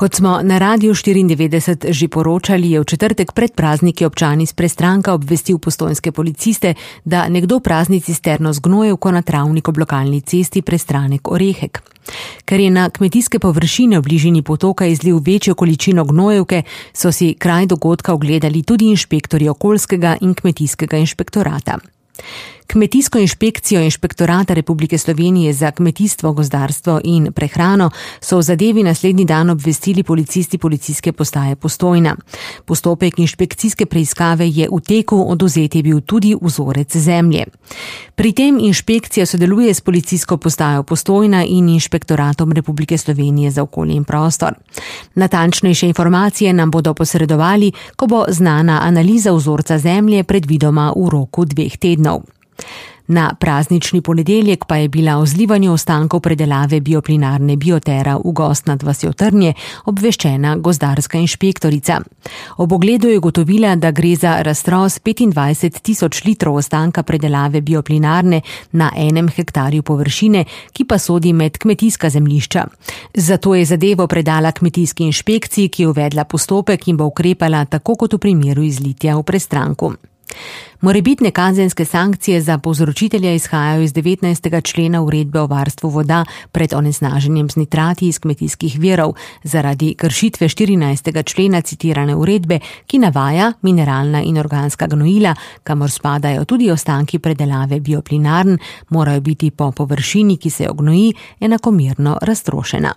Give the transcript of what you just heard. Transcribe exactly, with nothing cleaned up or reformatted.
Kot smo na Radiu štiriindevetdeset že poročali, je v četrtek pred prazniki občan iz Prestranka obvestil postojnske policiste, da nekdo prazni cisterno z gnojevko na travnik ob lokalni cesti Prestranek-Orehek. Ker je na kmetijske površine v bližini potoka izlil večjo količino gnojevke, so si kraj dogodka ogledali tudi inšpektorji okoljskega in kmetijskega inšpektorata. Kmetijsko inšpekcijo Inšpektorata Republike Slovenije za kmetijstvo, gozdarstvo in prehrano so v zadevi naslednji dan obvestili policisti policijske postaje Postojna. Postopek inšpekcijske preiskave je v teku, odvzet je bil tudi vzorec zemlje. Pri tem inšpekcija sodeluje s policijsko postajo Postojna in Inšpektoratom Republike Slovenije za okolje in prostor. Natančnejše informacije nam bodo posredovali, ko bo znana analiza vzorca zemlje, predvidoma v roku dveh tednov. Na praznični ponedeljek pa je bila o zlivanju ostankov predelave bioplinarne Biotera v Gozd nad vasjo Trnje obveščena gozdarska inšpektorica. Ob ogledu je ugotovila, da gre za raztros petindvajset tisoč litrov ostanka predelave bioplinarne na enem hektarju površine, ki pa sodi med kmetijska zemljišča. Zato je zadevo predala kmetijski inšpekciji, ki je uvedla postopek in bo ukrepala tako kot v primeru izlitja v Prestranku. Morebitne kazenske sankcije za povzročitelja izhajajo iz devetnajstega člena uredbe o varstvu voda pred onesnaženjem z nitrati iz kmetijskih virov zaradi kršitve štirinajstega člena citirane uredbe, ki navaja mineralna in organska gnojila, kamor spadajo tudi ostanki predelave bioplinarn, morajo biti po površini, ki se ognoji, enakomerno raztrošena.